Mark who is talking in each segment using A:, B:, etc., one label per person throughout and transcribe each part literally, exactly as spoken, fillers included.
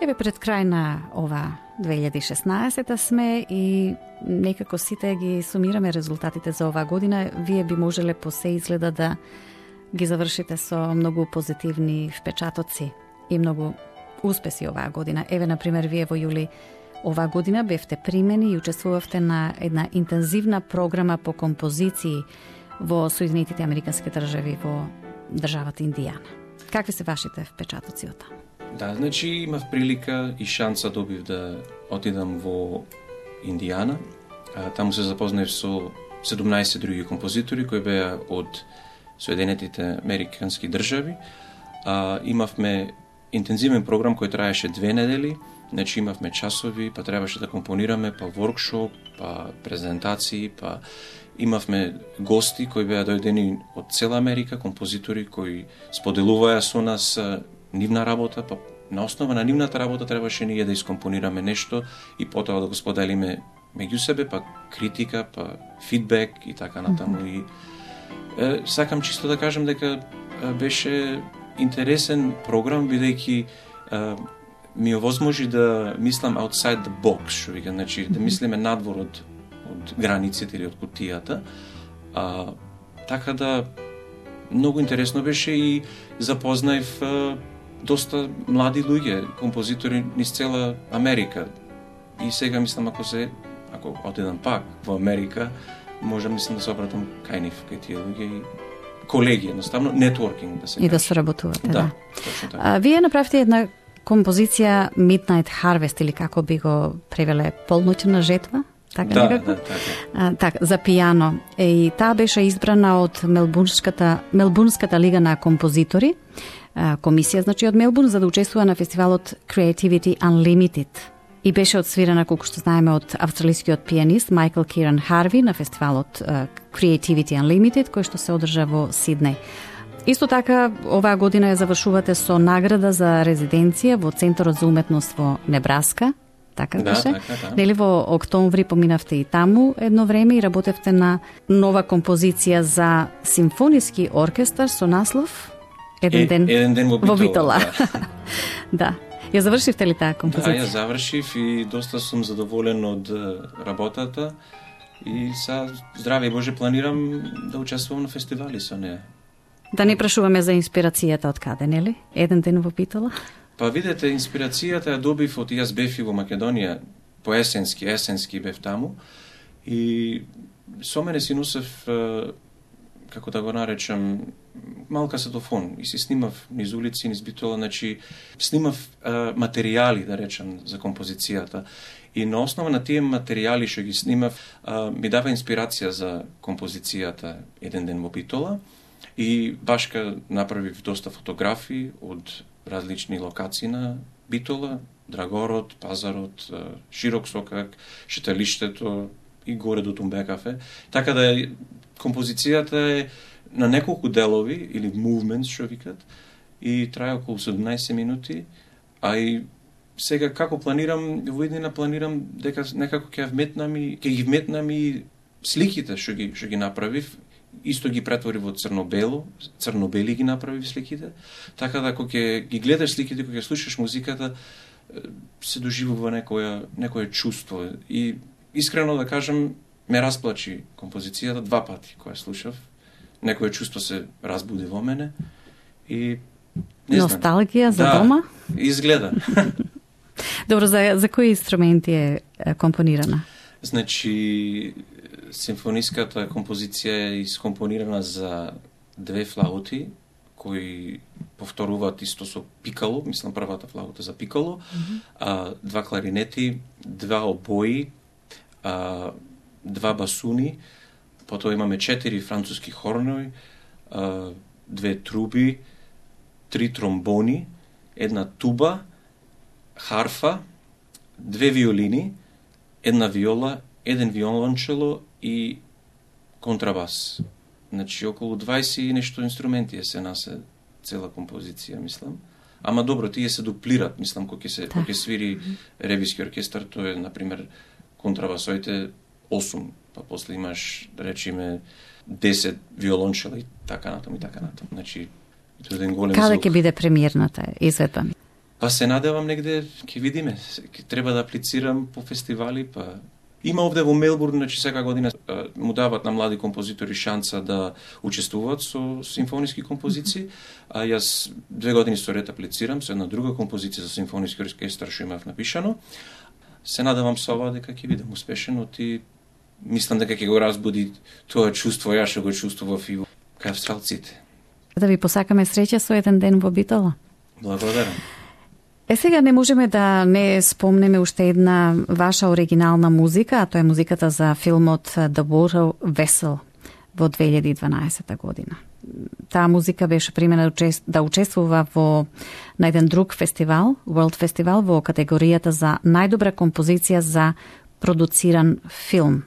A: Еве пред крај на ова две илјади и шеснаесета сме и некако сите ги сумираме резултатите за оваа година. Вие би можеле по се изгледа да ги завршите со многу позитивни впечатоци и многу успеси оваа година. Еве, например, вие во јули оваа година бевте примени и учествувавте на една интензивна програма по композиции во Соединетите Американски држави во државата Индијана. Какви се вашите впечатоци од таму?
B: Да, значи имав прилика и шанса добив да отидам во Индијана. А, таму се запознаев со седумнаесет други композитори кои беа од Соединетите Американски држави. А, имавме интензивен програм кој траеше две недели. Значи имавме часови, па требаше да компонираме, па воркшоп, па презентации, па имавме гости кои беа дојдени од цела Америка, композитори кои споделуваа со нас нивна работа, па на основа на нивната работа требаше ние да искомпонираме нешто и потоа да го споделиме меѓу себе, па критика, па фидбек и така натаму. Mm-hmm. И е, сакам чисто да кажам дека е, беше интересен програм, бидејќи е, ми овозможи да мислам outside the box, што вика, значи да мислиме надвор од од границите или од кутијата. А, така да многу интересно беше и запознаев а, доста млади луѓе, композитори низ цела Америка. И сега мислам ако се ако отидам пак во Америка, може мислам да се обратам кај нив, кај тие луѓе и колеги, едноставно нетворкинг да се
A: и
B: каже.
A: да соработувате, да.
B: Да, точно така.
A: А, вие направите една композиција Midnight Harvest или како би го превеле полноќна жетва? Така
B: да,
A: некако?
B: Да, така.
A: А, так, за пијано. Е, и таа беше избрана од Мелбурнската, Мелбурнската лига на композитори, а, комисија, значи, од Мелбурн, за да учествува на фестивалот Creativity Unlimited. И беше отсвирана, колку што знаеме, од австралискиот пианист Майкл Киран Харви на фестивалот а, Creativity Unlimited, кој што се одржа во Сиднеј. Исто така, оваа година ја завршувате со награда за резиденција во Центарот за уметност во Небраска. Така
B: да,
A: беше?
B: така, да.
A: Нели во октомври поминавте и таму едно време и работевте на нова композиција за симфониски оркестар со наслов Еден ден,
B: е, еден ден во Битола.
A: Во Битола.
B: Да.
A: Да. Ја завршивте ли таа композиција?
B: Да, ја завршив и доста сум задоволен од работата и са здраве Боже планирам да учествувам на фестивали со неа.
A: Да не прашуваме за инспирацијата од каде, нели? Еден ден во Битола?
B: Па видете, инспирацијата ја добив од јас бев и во Македонија, по есенски, есенски бев таму и со мене си носев, како да го наречам, мал касетофон и си снимав низ улици, низ Битола, значи снимав а, материјали, да речам, за композицијата. И на основа на тие материјали што ги снимав, а, ми дава инспирација за композицијата Еден ден во Битола. И башка направив доста фотографии од различни локации на Битола, Драгород, Пазарот, Широк сокак, Шеталиштето и горе до Тумбекафе. Така да композицијата е на неколку делови, или movements, што викат, и трае околу седумнаесет минути, а и сега како планирам, во иднина планирам дека некако ќе вметнам и ќе ги вметнам и сликите што ги што ги направив. Исто ги претвори во црно-бело, црно-бели ги направи сликите, така да кога ќе ги гледаш сликите, кога ќе слушаш музиката, се доживува некоја некое чувство. И искрено да кажам, ме расплачи композицијата два пати кога слушав. Некое чувство се разбуди во мене и не знам.
A: Носталгија за
B: да,
A: дома?
B: Изгледа.
A: Добро, за за кои инструменти е компонирана?
B: Значи, симфониската композиција е искомпонирана за две флаути, кои повторуваат исто со пикало, мислам првата флаута за пикало, mm-hmm. а, два кларинети, два обои, а, два басуни, потоа имаме четири француски хорнои, а, две труби, три тромбони, една туба, харфа, две виолини, една виола, еден виолончело и контрабас. Значи, околу дваесет и нешто инструменти е се насе цела композиција, мислам. Ама добро, тие се дуплират, мислам, кога ќе се кога ќе свири ревиски оркестар, тоа е, например, контрабасоите осум, па после имаш, да речеме, десет виолончела и така натаму и така натаму. Значи, тоа е еден голем
A: Каде
B: звук.
A: ќе биде премиерната изведба?
B: Па се надевам негде, ќе видиме, ќе треба да аплицирам по фестивали, па има овде во Мелбурн, значи секака година му дават на млади композитори шанса да учествуваат со симфониски композиции, а јас две години со ред аплицирам со една друга композиција за симфониски оркестар што имав напишано. Се надевам со ова дека ќе бидам успешен, и мислам дека ќе го разбуди тоа чувство, јас што го чувствував и кај австралците.
A: Да ви посакаме среќа со еден ден во Битола.
B: Благодарам.
A: Е, сега не можеме да не спомнеме уште една ваша оригинална музика, а тоа е музиката за филмот The Water Vessel во две илјади и дванаесета година. Таа музика беше примена да учествува во на еден друг фестивал, World Festival, во категоријата за најдобра композиција за продуциран филм.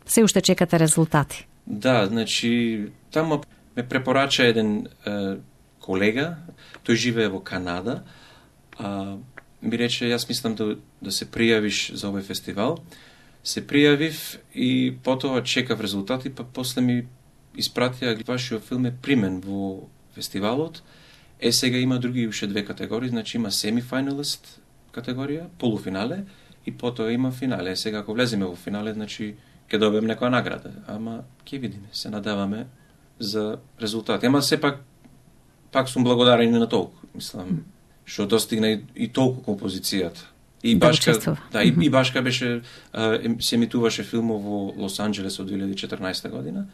A: Се уште чекате резултати.
B: Да, значи, таму ме препорача еден е, колега, тој живее во Канада, а, ми рече, јас мислам да, да се пријавиш за овој фестивал. Се пријавив и потоа чекав резултати, па после ми испратија вашиот филм е примен во фестивалот. Е, сега има други уште две категории, значи има семифиналист категорија, полуфинале, и потоа има финале. Е, сега ако влеземе во финале, значи ќе добием некоја награда, ама ќе видиме, се надаваме за резултати. Ама сепак пак сум благодарен на толку, мислам, што достигна и, и толку композицијата. И
A: да
B: башка,
A: учествува.
B: да, и, и башка беше а, се емитуваше филмов во Лос Анџелес од две илјади и четрнаесета година,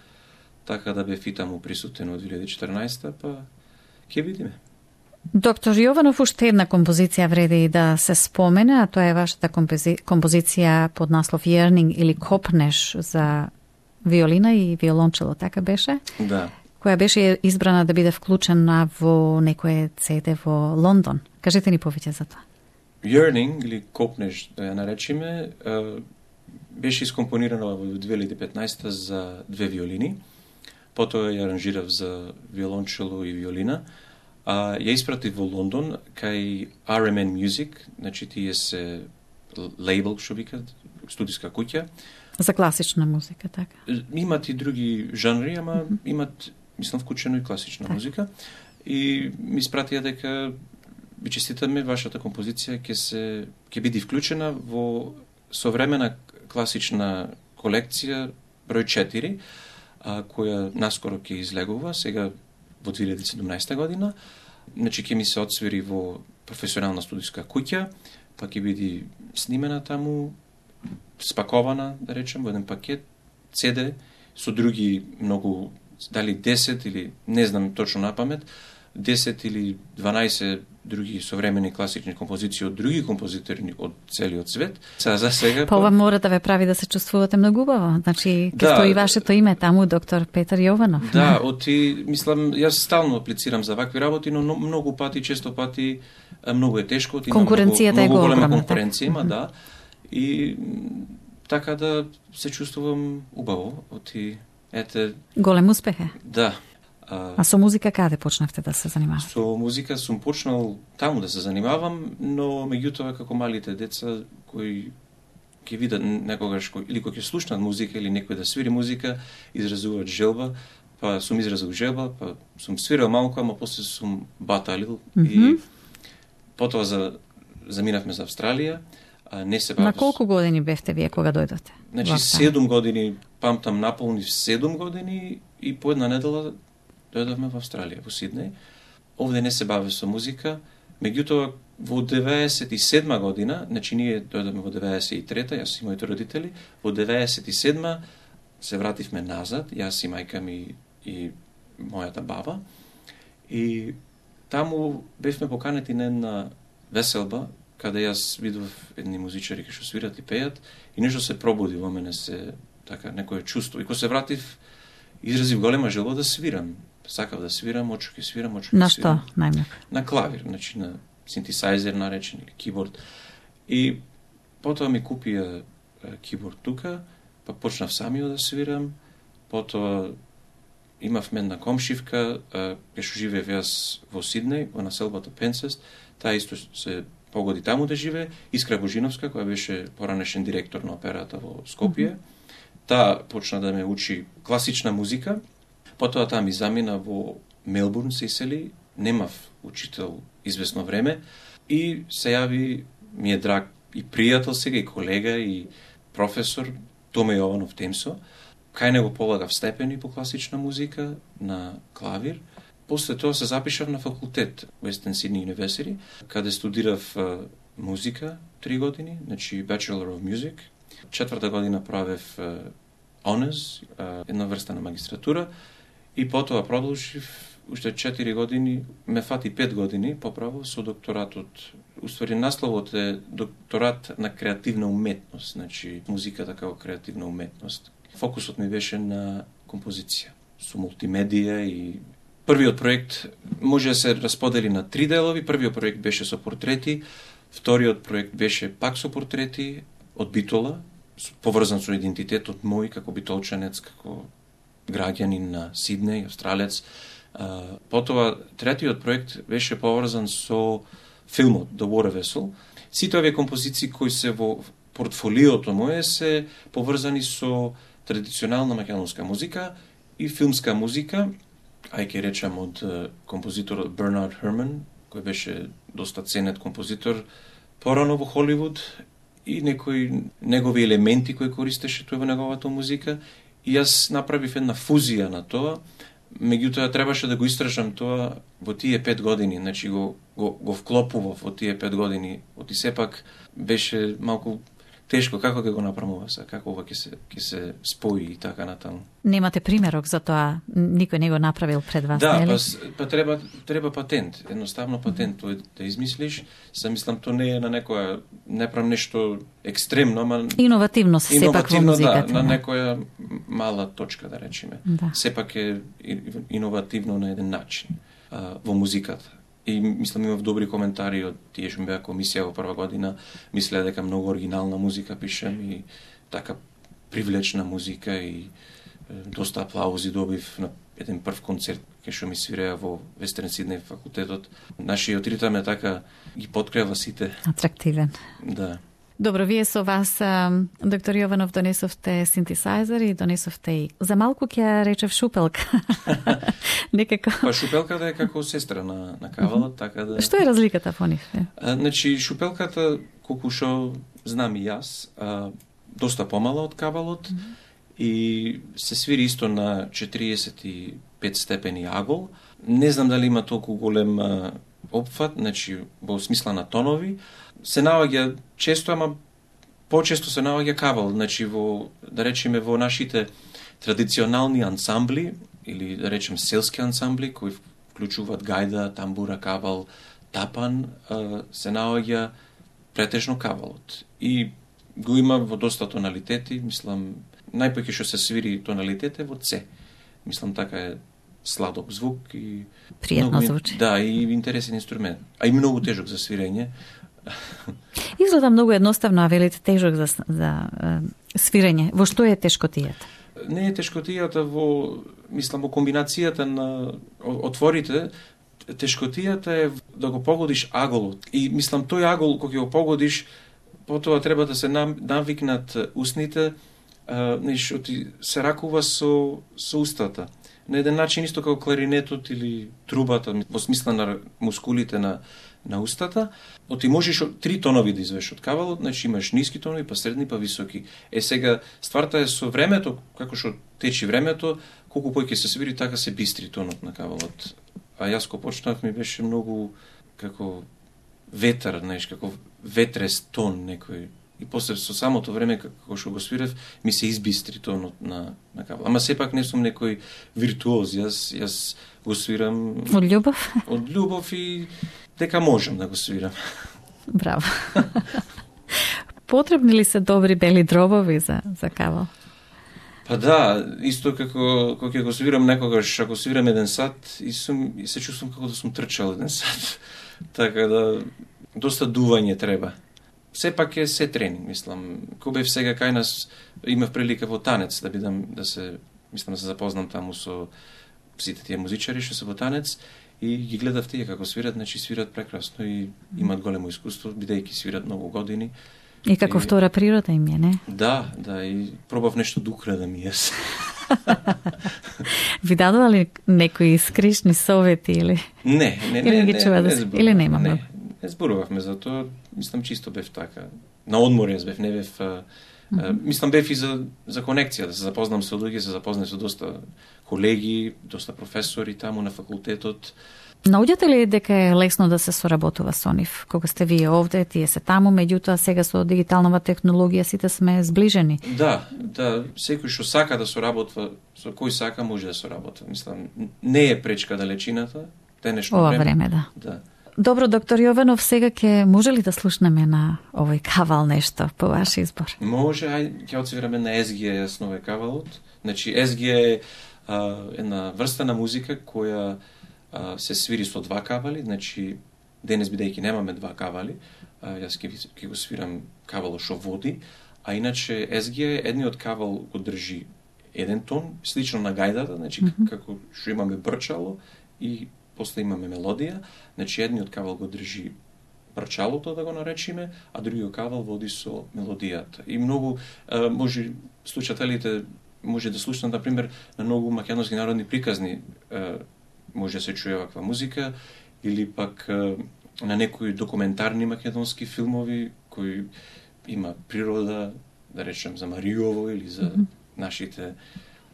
B: така да бе фитаму присутен од две илјади и четрнаесета, па ќе видиме.
A: Доктор Јованов, уште една композиција вреди да се спомене, а тоа е вашата компози... композиција под наслов Yearning или Копнеш за виолина и виолончело, така беше?
B: Да.
A: Која беше избрана да биде вклучена во некое Си Ди во Лондон. Кажете ни повеќе за тоа.
B: Yearning или Копнеш, да ја наречиме, беше искомпонирана во две илјади и петнаесета за две виолини. Потоа ја аранжирав за виолончело и виолина. А ја испратив во Лондон кај Ар Ем Ен Music, значи тие се лейбл, што викат, студиска куќа.
A: За класична музика, така?
B: Имат и други жанри, ама mm -hmm. имат, мислам, вклучено и класична так. музика. И ми испратија дека ви честитаме, вашата композиција ќе се ќе биде вклучена во современа класична колекција број четири, а, која наскоро ќе излегува, сега во две илјади и седумнаесета година. Значи ќе ми се отсвири во професионална студиска куќа, па ќе биде снимена таму, спакована, да речем, во еден пакет, Си Ди, со други многу, дали десет или, не знам точно на памет, десет или дванаесет други современи класични композиции од други композитори од целиот свет. Са, за сега...
A: Па ова мора да ве прави да се чувствувате многу убаво. Значи, ќе
B: да,
A: стои вашето име таму, доктор Петар Јованов.
B: Да, оти, мислам, јас стално аплицирам за вакви работи, но многу пати, често пати, многу е тешко.
A: Конкуренцијата
B: многу,
A: е
B: многу голема
A: огромна.
B: конкуренција има, да. И така да се чувствувам убаво. Оти, ете...
A: Голем успех е.
B: Да.
A: А, а со музика каде почнавте да се занимавате?
B: Со музика сум почнал таму да се занимавам, но меѓутоа како малите деца кои ќе видат некогаш кој, или кој ќе слушнат музика или некој да свири музика, изразуваат желба, па сум изразил желба, па сум свирал малку, ама после сум баталил mm -hmm. и потоа за заминавме за Австралија. А не се бавив...
A: На колку години бевте вие кога дојдовте?
B: Значи седум години, памтам наполни седум години и по една недела дојдовме во Австралија, во Сиднеј. Овде не се бавев со музика, меѓутоа во деветдесет и седма година, значи ние дојдовме во деветдесет и трета, јас и моите родители, во деветдесет и седма се вративме назад, јас и мајка ми и мојата баба, и таму бевме поканети на една веселба, каде јас видов едни музичари кои што свират и пеат, и нешто се пробуди во мене, се така некое чувство. И кога се вратив, изразив голема желба да свирам. Сакав да свирам, очу ќе свирам, очу ќе
A: на
B: свирам.
A: На што најмногу?
B: На клавир, значи на синтесайзер наречен или киборд. И потоа ми купија киборд тука, па почнав самиот да свирам, потоа имавме една комшивка, кај што живеев јас во Сиднеј, во населбата Пенсест, таа исто се погоди таму да живее, Искра Божиновска, која беше поранешен директор на операта во Скопје. Mm -hmm. Таа почна да ме учи класична музика, потоа таа ми замина во Мелбурн, се исели, немав учител известно време, И се јави, ми е драг и пријател сега, и колега, и професор Томе Јованов Темсо. Кај него полагав степени по класична музика на клавир. После тоа се запишав на факултет Western Sydney University, каде студирав uh, музика три години, значи Bachelor of Music. Четврта година правев uh, Honors, uh, една врста на магистратура, и потоа продолжив уште четири години, ме фати пет години поправо со докторатот. Уствари насловот е докторат на креативна уметност, значи музиката како креативна уметност. Фокусот ми беше на композиција, со мултимедија, и првиот проект може да се расподели на три делови. Првиот проект беше со портрети, вториот проект беше пак со портрети од Битола, поврзан со идентитетот мој како битолчанец, како граѓанин на Сиднеј, австралец. Потоа третиот проект беше поврзан со филмот The Water Vessel. Сите овие композиции кои се во портфолиото мое се поврзани со традиционална македонска музика и филмска музика, ај ке речам од композиторот Бернард Херман, кој беше доста ценет композитор порано во Холивуд, и некои негови елементи кои користеше тој во неговата музика. И јас направив една фузија на тоа, меѓутоа требаше да го истражам тоа во тие пет години, значи го, го, го вклопував во тие пет години, оти сепак беше малку тешко како ќе го направам се, како ова ќе се ќе се спои и така натаму.
A: Немате примерок за тоа, никој не го направил пред вас,
B: да,
A: нели?
B: Да, па, па треба треба патент, едноставно патент тој да измислиш. Се мислам тоа не е на некоја, не правам нешто екстремно, ама
A: иновативно се сепак во музиката.
B: Да, на некоја мала точка, да речеме.
A: Да.
B: Сепак е иновативно на еден начин а, во музиката. И мислам имав добри коментари од тие што ми беа комисија во прва година, мислеа дека многу оригинална музика пишем и така привлечна музика, и е, доста аплаузи добив на еден прв концерт кај што ми свиреа во Western Sydney факултетот. Нашиот ритам е така ги подкрива сите.
A: Атрактивен.
B: Да.
A: Добро, вие со вас, доктор Јованов, донесовте синтесайзер и донесовте и за малку ќе речев шупелка. Некако.
B: Па шупелката е како сестра на на кавалот, mm-hmm. така да.
A: Што е разликата по нив?
B: А, значи шупелката, колку што знам и јас, а, доста помала од кавалот, mm-hmm. и се свири исто на четириесет и пет степени агол. Не знам дали има толку голем а, опфат, значи во смисла на тонови. Се наоѓа често, ама почесто се наоѓа кавал, значи во, да речеме, во нашите традиционални ансамбли, или да речем селски ансамбли, кои вклучуваат гајда, тамбура, кавал, тапан, се наоѓа претежно кавалот. И го има во доста тоналитети, мислам, најпоќе што се свири тоналитет е во С. Мислам, така е сладок звук и
A: пријатно звучи.
B: Да, и интересен инструмент, а и многу тежок за свирење.
A: Изгледа многу едноставно, а велите тежок за, за е, свирење. Во што е тешкотијата?
B: Не е тешкотијата во, мислам, во комбинацијата на отворите. Тешкотијата е да го погодиш аголот. И мислам, тој агол кога го погодиш, потоа треба да се навикнат устните, неш, се ракува со, со устата. На еден начин исто како кларинетот или трубата, во смисла на мускулите на на устата, оти можеш три тонови да извеш од кавалот, значи имаш ниски тонови, па средни, па високи. Е сега стварта е со времето, како што течи времето, колку поќе се свири, така се бистри тонот на кавалот. А јас кога почнав ми беше многу како ветар, знаеш, како ветрес тон некој. И после со самото време како што го свирев, ми се избистри тонот на на кавалот. Ама сепак не сум некој виртуоз, јас јас го свирам
A: од љубов.
B: Од љубов и дека можам да го свирам.
A: Браво. Потребни ли се добри бели дробови за за кавал?
B: Па да, исто како кога ќе го свирам некогаш, ако свирам еден сат и сум и се чувствувам како да сум трчал еден сат. Така да доста дување треба. Сепак е се тренинг, мислам. Кога бев сега кај нас, имав прилика во танец да бидам, да се, мислам да се запознам таму со сите тие музичари што се во танец, и ги гледав тие како свират, значи свират прекрасно и имаат големо искуство, бидејќи свират многу години.
A: И како и втора природа им е, не?
B: Да, да, и пробав нешто да украдам и јас.
A: Ви дадували некои скришни совети или?
B: Не, не, не,
A: или
B: не,
A: ги чува
B: не,
A: да
B: не,
A: или нема?
B: Не, Не зборувавме за тоа, мислам чисто бев така. На одмор јас бев, не бев... А, mm -hmm. Мислам бев и за, за конекција, да се запознам со луѓе, се запознам со доста колеги, доста професори таму на факултетот.
A: Наоѓате ли дека е лесно да се соработува со нив? Кога сте вие овде, тие се таму, меѓутоа сега со дигиталнова технологија сите сме зближени.
B: Да, да, секој што сака да соработва, со кој сака може да соработва. Мислам, не е пречка далечината, денешно
A: ова
B: време.
A: време, да.
B: Да.
A: Добро, доктор Јованов, сега ќе може ли да слушнеме на овој кавал нешто по ваш избор?
B: Може, ај, ќе отсвираме на Ес Ги Е јас нове кавалот. Значи, Ес Ги Е е а, една врста на музика која а, се свири со два кавали, значи, денес бидејќи немаме два кавали, а, јас ќе, ќе го свирам кавало шо води, а иначе Ес Ги Е едниот кавал го држи еден тон, слично на гајдата, значи, mm -hmm. како што имаме брчало и после имаме мелодија, значи едниот кавал го држи брчалото, да го наречиме, а другиот кавал води со мелодијата. И многу, а, може, слушателите може да слушнат, например, на многу македонски народни приказни, а, може да се чуе ваква музика, или пак а, на некои документарни македонски филмови, кои има природа, да речем, за Мариово или за mm -hmm. нашите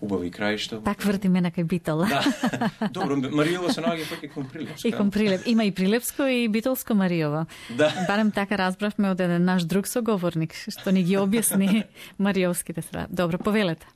B: убави краишта.
A: Пак вртиме на кај Битола.
B: Да. Добро, Мариово се наоѓа пак и кон Прилепско.
A: И кон Прилеп. Има и Прилепско и Битолско Мариово.
B: Да.
A: Барем така разбравме од еден наш друг соговорник, што ни ги објасни мариовските страни. Добро, повелете.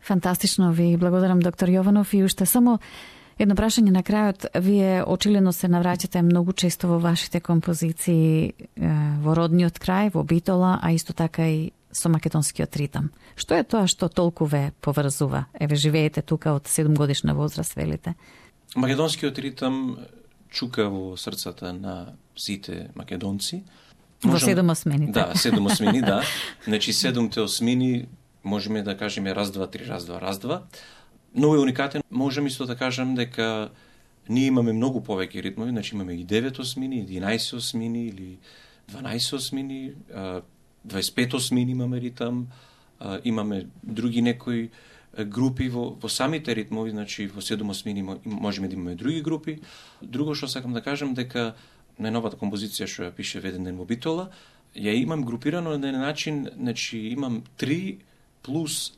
A: Фантастично, ви благодарам, доктор Јованов. И уште само едно прашање на крајот. Вие очигледно се навраќате многу често во вашите композиции во родниот крај, во Битола, а исто така и со македонскиот ритам. Што е тоа што толку ве поврзува? Еве, живеете тука од седумгодишна возраст, велите.
B: Македонскиот ритам чука во срцата на сите македонци.
A: Во седум осмините.
B: Да, седум осмини, да. Значи, седумте осмини можеме да кажеме раз, два, три, раз, два, раз, два. Многу е уникатен. Можем исто да кажем дека ние имаме многу повеќе ритмови, значи имаме и девет осмини, единаесет осмини или дванаесет осмини, дваесет пет осмини имаме ритам, имаме други некои групи во, во самите ритмови, значи во седум осмини можеме да имаме други групи. Друго што сакам да кажем дека најновата композиција што ја пише Еден ден во Битола, ја имам групирано на еден начин, значи имам три плюс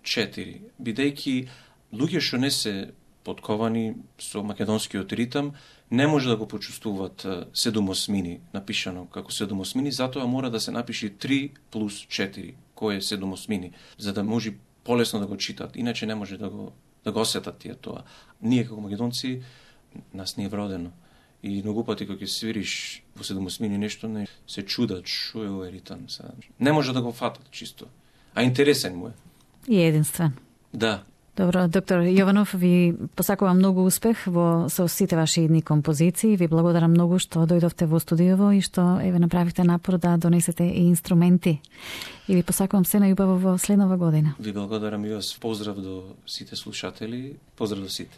B: четири, бидејќи луѓе што не се подковани со македонскиот ритам не може да го почувствуваат седум осмини напишано како седум осмини, затоа мора да се напише три плюс четири, кој е седум осмини, за да може полесно да го читат, иначе не може да го да го осетат тие тоа. Ние како македонци нас не е вродено. И многу пати кога ќе свириш во седум осмини нешто, не се чудат што е овој ритам. Не може да го фатат чисто. А интересен му е.
A: И единствен.
B: Да.
A: Добро, доктор Јованов, ви посакувам многу успех во со сите ваши идни композиции. Ви благодарам многу што дојдовте во студиово и што еве направивте напор да донесете и инструменти. И ви посакувам се најубаво во следнава година.
B: Ви благодарам и вас. Поздрав до сите слушатели. Поздрав до сите.